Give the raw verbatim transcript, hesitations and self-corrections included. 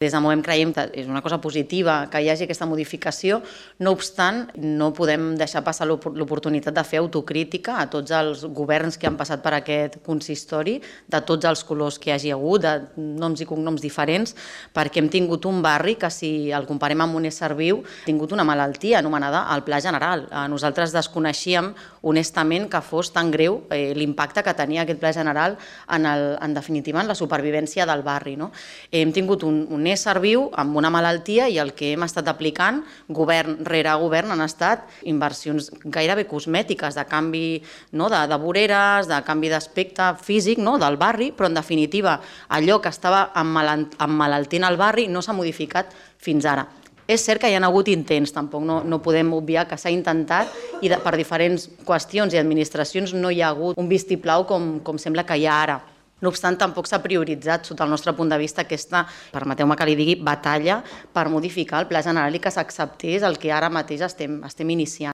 Des de Movem creiem que és una cosa positiva que hi hagi aquesta modificació, no obstant, no podem deixar passar l'oportunitat de fer autocrítica a tots els governs que han passat per aquest consistori, de tots els colors que hi hagi hagut, de noms i cognoms diferents, perquè hem tingut un barri que, si el comparem amb un ésser viu, ha tingut una malaltia anomenada el Pla General. Nosaltres desconeixíem honestament que fos tan greu l'impacte que tenia aquest Pla General en, el, en definitiva en la supervivència del barri. No? Hem tingut un, un ésser viu amb una malaltia i el que hem estat aplicant, govern rere govern, han estat inversions gairebé cosmètiques, de canvi no, de, de voreres, de canvi d'aspecte físic no, del barri, però en definitiva allò que estava emmalaltint el barri no s'ha modificat fins ara. És cert que hi ha hagut intents, tampoc no, no podem obviar que s'ha intentat i de, per diferents qüestions i administracions no hi ha hagut un vistiplau com, com sembla que hi ha ara. No obstant, tampoc s'ha prioritzat, sota el nostre punt de vista, aquesta, permeteu-me que li digui, batalla per modificar el Pla General i que s'acceptés el que ara mateix estem, estem iniciant.